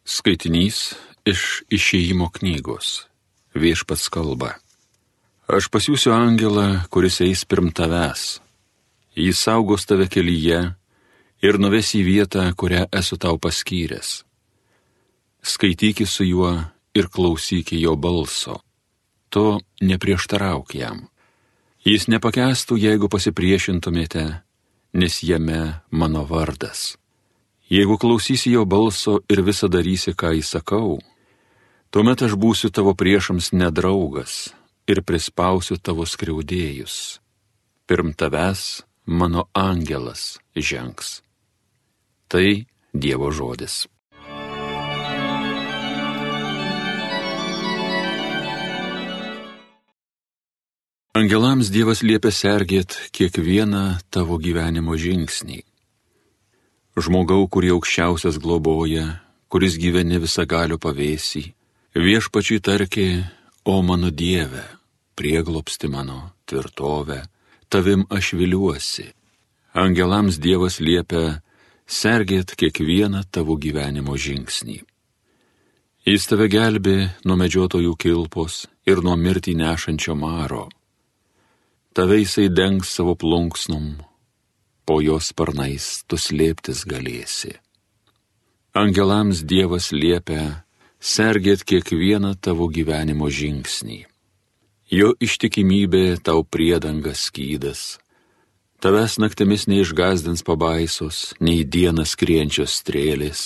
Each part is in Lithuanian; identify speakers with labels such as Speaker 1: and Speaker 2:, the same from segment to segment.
Speaker 1: Skaitinys iš Išėjimo knygos. Viešpats kalba. Aš pasiųsiu angelą, kuris eis pirm tavęs. Jis saugos tave kelyje ir nuves į vietą, kurią esu tau paskyręs. Skaityki su juo ir klausyki jo balso. To neprieštarauk jam. Jis nepakęstų, jeigu pasipriešintumėte, nes jame mano vardas. Jeigu klausysi jo balso ir visą darysi, ką įsakau, tuomet aš būsiu tavo priešams nedraugas ir prispausiu tavo skriaudėjus. Pirm tavęs mano angelas žengs. Tai Dievo žodis. Angelams Dievas liepia sergėt kiekvieną tavo gyvenimo žingsnį. Žmogau, kurį aukščiausias globoja, kuris gyveni visagalio pavėsį, viešpačiui tarkė, o mano Dieve, prieglobsti mano, tvirtovę, tavim aš viliuosi. Angelams Dievas liepia sergėt kiekvieną tavo gyvenimo žingsnį. Jis tave gelbė nuo medžiotojų kilpos ir nuo mirtį nešančio maro. Tave jisai dengs savo plunksnom, po jos sparnais tu slėptis galėsi. Angelams Dievas liepia sergėt kiekvieną tavo gyvenimo žingsnį. Jo ištikimybė tau priedanga skydas. Tavęs naktimis neišgazdins pabaisos, nei dieną skrienčios strėlės,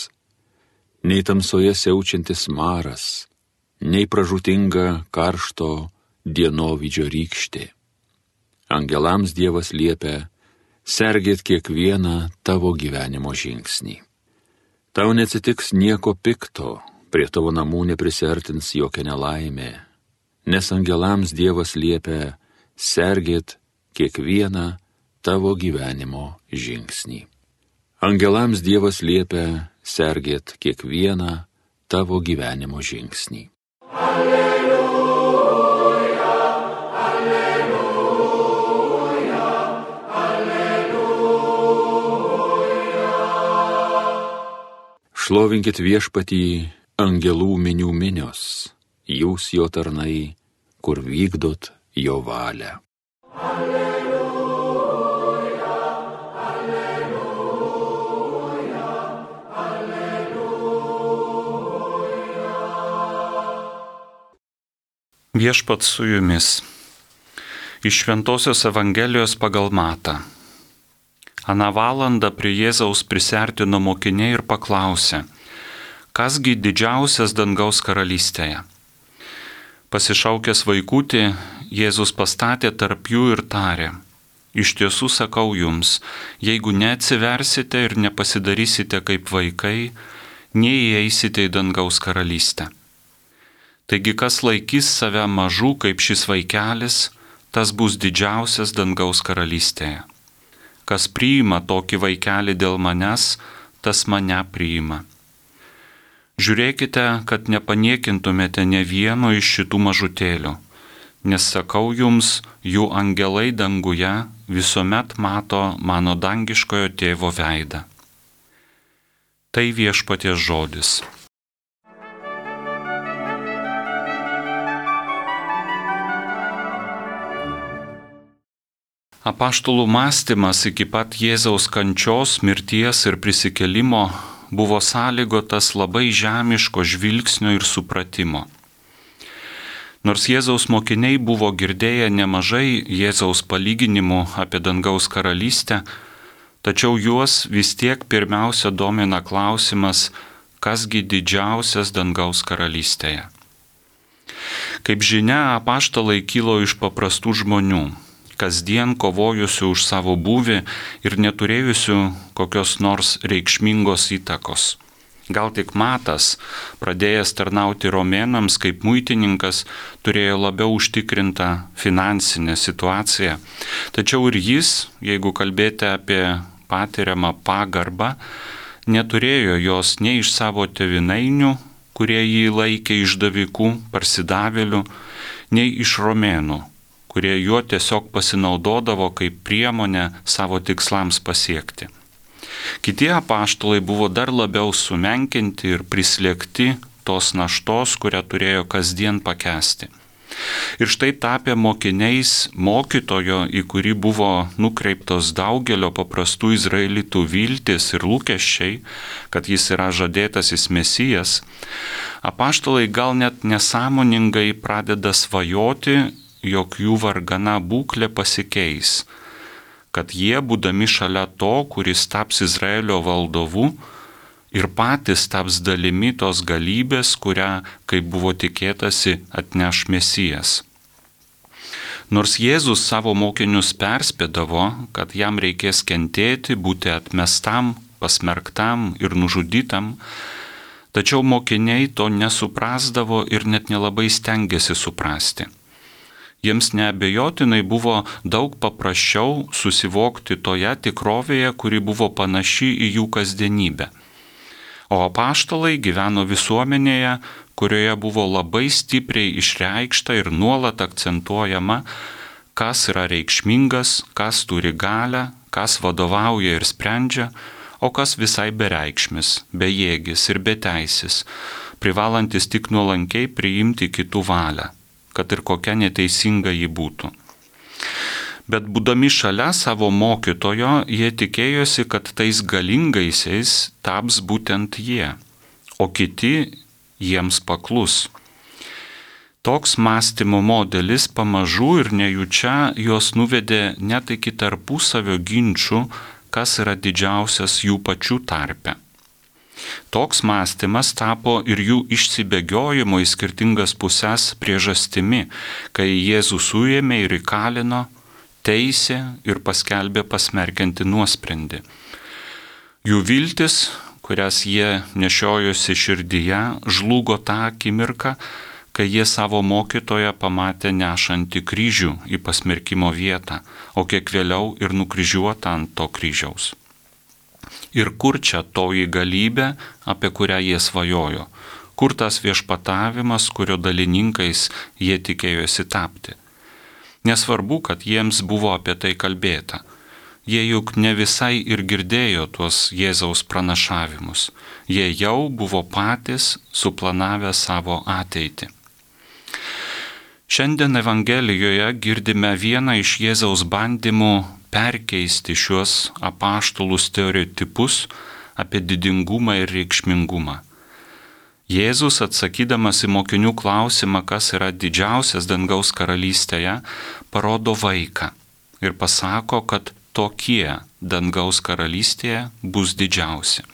Speaker 1: nei tamsoje siaučiantis maras, nei pražūtinga karšto dienovydžio rykštė. Angelams Dievas liepia sergėt kiekvieną tavo gyvenimo žingsnį. Tau neatsitiks nieko pikto, prie tavo namų neprisiartins jokia nelaimė, nes angelams Dievas liepia sergėt kiekvieną tavo gyvenimo žingsnį. Angelams Dievas liepia sergėt kiekvieną tavo gyvenimo žingsnį. Šlovinkit viešpatį angelų minių minios, jūs jo tarnai, kur vykdot jo valią. Alleluja, alleluja, alleluja.
Speaker 2: Viešpats su jumis. Iš Šventosios Evangelijos pagal Matą. Aną valandą prie Jėzaus prisiartino mokiniai ir paklausė, kasgi didžiausias dangaus karalystėje. Pasišaukęs vaikutį, Jėzus pastatė tarp jų ir tarė, iš tiesų sakau jums, jeigu neatsiversite ir nepasidarysite kaip vaikai, neįeisite į dangaus karalystę. Taigi kas laikys save mažų kaip šis vaikelis, tas bus didžiausias dangaus karalystėje. Kas priima tokį vaikelį dėl manęs, tas mane priima. Žiūrėkite, kad nepaniekintumėte ne vieno iš šitų mažutėlių, nes sakau jums, jų angelai danguje visuomet mato mano dangiškojo tėvo veidą. Tai viešpaties žodis. Apaštalų mąstymas iki pat Jėzaus kančios, mirties ir prisikėlimo buvo sąlygotas labai žemiško žvilgsnio ir supratimo. Nors Jėzaus mokiniai buvo girdėję nemažai Jėzaus palyginimų apie dangaus karalystę, tačiau juos vis tiek pirmiausia domina klausimas, kasgi didžiausias dangaus karalystėje. Kaip žinia, apaštalai kilo iš paprastų žmonių, kasdien kovojusių už savo būvį ir neturėjusių kokios nors reikšmingos įtakos. Gal tik Matas, pradėjęs tarnauti romėnams kaip muitininkas, turėjo labiau užtikrintą finansinę situaciją. Tačiau ir jis, jeigu kalbėti apie patiriamą pagarbą, neturėjo jos nei iš savo tėvynainių, kurie jį laikė išdavikų, parsidavėlių, nei iš romėnų, kurie juo tiesiog pasinaudodavo kaip priemonę savo tikslams pasiekti. Kiti apaštalai buvo dar labiau sumenkinti ir prislėgti tos naštos, kurią turėjo kasdien pakęsti. Ir štai tapę mokiniais mokytojo, į kurį buvo nukreiptos daugelio paprastų izraelitų viltis ir lūkesčiai, kad jis yra žadėtasis Mesijas, apaštalai gal net nesąmoningai pradeda svajoti, jog jų vargana būklė pasikeis, kad jie, būdami šalia to, kuris taps Izraelio valdovu, ir patys taps dalimi tos galybės, kurią, kaip buvo tikėtasi, atneš Mesijas. Nors Jėzus savo mokinius perspėdavo, kad jam reikės kentėti, būti atmestam, pasmerktam ir nužudytam, tačiau mokiniai to nesuprasdavo ir net nelabai stengėsi suprasti. Jiems neabejotinai buvo daug paprasčiau susivokti toje tikrovėje, kuri buvo panaši į jų kasdienybę. O apaštalai gyveno visuomenėje, kurioje buvo labai stipriai išreikšta ir nuolat akcentuojama, kas yra reikšmingas, kas turi galią, kas vadovauja ir sprendžia, o kas visai bereikšmis, bejėgis ir beteisis, privalantis tik nuolankiai priimti kitų valią, kad ir kokia neteisinga ji būtų. Bet būdami šalia savo mokytojo, jie tikėjosi, kad tais galingaisiais taps būtent jie, o kiti jiems paklus. Toks mąstymo modelis pamažu ir nejučia juos nuvedė net iki tarpusavio ginčių, kas yra didžiausias jų pačių tarpe. Toks mąstymas tapo ir jų išsibėgiojimo į skirtingas puses priežastimi, kai Jėzų suėmė ir įkalino, teisė ir paskelbė pasmerkiantį nuosprendį. Jų viltis, kurias jie nešiojosi širdyje, žlugo tą akimirką, kai jie savo mokytoją pamatė nešantį kryžių į pasmerkimo vietą, o kiek vėliau ir nukryžiuotą ant to kryžiaus. Ir kur čia toji galybė, apie kurią jie svajojo? Kur tas viešpatavimas, kurio dalininkais jie tikėjosi tapti? Nesvarbu, kad jiems buvo apie tai kalbėta. Jie juk ne visai ir girdėjo tuos Jėzaus pranašavimus. Jie jau buvo patys suplanavę savo ateitį. Šiandien Evangelijoje girdime vieną iš Jėzaus bandymų perkeisti šiuos apaštalų stereotipus apie didingumą ir reikšmingumą. Jėzus, atsakydamas į mokinių klausimą, kas yra didžiausias dangaus karalystėje, parodo vaiką ir pasako, kad tokie dangaus karalystėje bus didžiausi.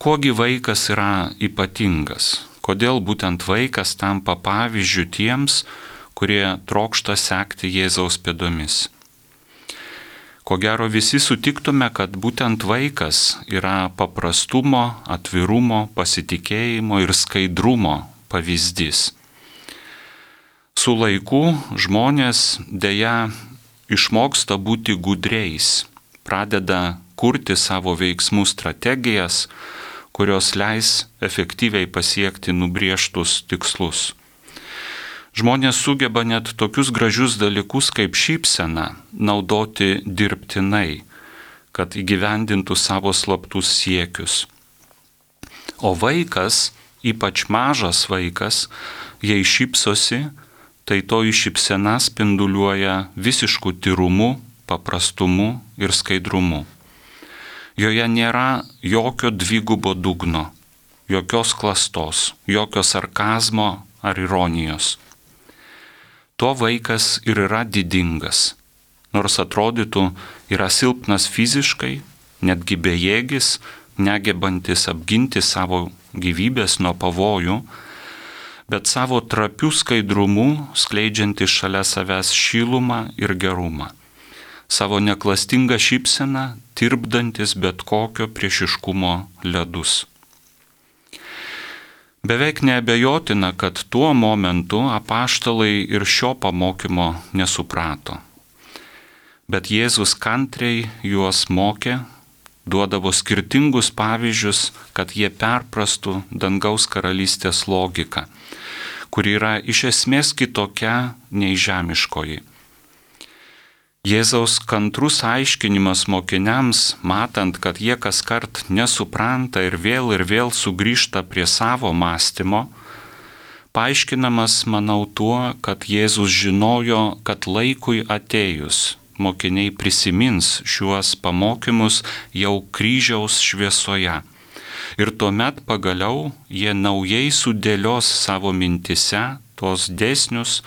Speaker 2: Kuogi vaikas yra ypatingas? Kodėl būtent vaikas tampa pavyzdžiu tiems, kurie trokšta sekti Jėzaus pėdomis? Ko gero visi sutiktume, kad būtent vaikas yra paprastumo, atvirumo, pasitikėjimo ir skaidrumo pavyzdys. Su laiku žmonės deja išmoksta būti gudriais, pradeda kurti savo veiksmų strategijas, kurios leis efektyviai pasiekti nubrėžtus tikslus. Žmonės sugeba net tokius gražius dalykus kaip šypsena naudoti dirbtinai, kad įgyvendintų savo slaptus siekius. O vaikas, ypač mažas vaikas, jei šypsosi, tai toji šypsena spinduliuoja visišku tyrumu, paprastumu ir skaidrumu. Joje nėra jokio dvigubo dugno, jokios klastos, jokio sarkazmo ar ironijos. To vaikas ir yra didingas, nors atrodytų yra silpnas fiziškai, netgi bejėgis, negebantis apginti savo gyvybės nuo pavojų, bet savo trapių skaidrumų skleidžiantis šalia savęs šilumą ir gerumą, savo neklastingą šypseną tirpdantis bet kokio priešiškumo ledus. Beveik neabejotina, kad tuo momentu apaštalai ir šio pamokymo nesuprato. Bet Jėzus kantriai juos mokė, duodavo skirtingus pavyzdžius, kad jie perprastų dangaus karalystės logiką, kuri yra iš esmės kitokia nei žemiškoji. Jėzaus kantrus aiškinimas mokiniams, matant, kad jie kaskart nesupranta ir vėl sugrįžta prie savo mąstymo, paaiškinamas, manau, tuo, kad Jėzus žinojo, kad laikui atėjus mokiniai prisimins šiuos pamokymus jau kryžiaus šviesoje. Ir tuomet pagaliau jie naujai sudėlios savo mintise tos dėsnius,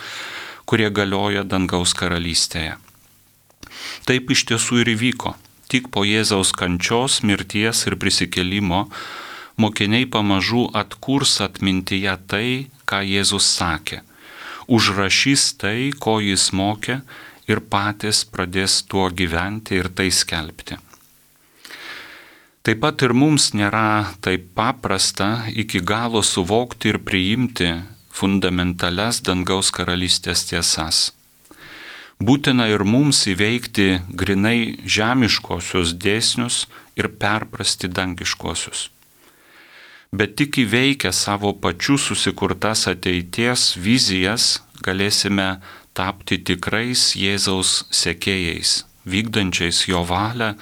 Speaker 2: kurie galioja dangaus karalystėje. Taip iš tiesų ir įvyko. Tik po Jėzaus kančios, mirties ir prisikėlimo mokiniai pamažu atkurs atmintyje tai, ką Jėzus sakė, užrašys tai, ko jis mokė ir patys pradės tuo gyventi ir tai skelbti. Taip pat ir mums nėra taip paprasta iki galo suvokti ir priimti fundamentalias dangaus karalystės tiesas. Būtina ir mums įveikti grinai žemiškosius dėsnius ir perprasti dangiškosius. Bet tik įveikę savo pačių susikurtas ateities vizijas galėsime tapti tikrais Jėzaus sekėjais, vykdančiais jo valią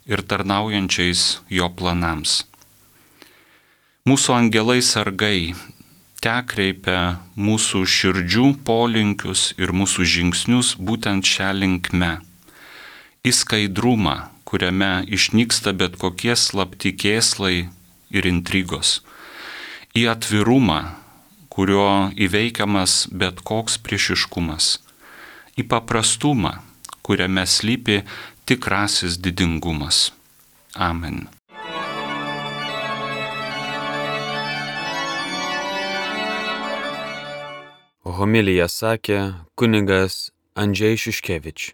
Speaker 2: ir tarnaujančiais jo planams. Mūsų angelai sargai tekreipia mūsų širdžių polinkius ir mūsų žingsnius būtent šią linkme. Į skaidrumą, kuriame išnyksta bet kokie slapti kėslai ir intrigos. Į atvirumą, kurio įveikiamas bet koks priešiškumas. Į paprastumą, kuriame slypi tikrasis didingumas. Amen.
Speaker 3: Homiliją sakė kunigas Andžej Šiškevič.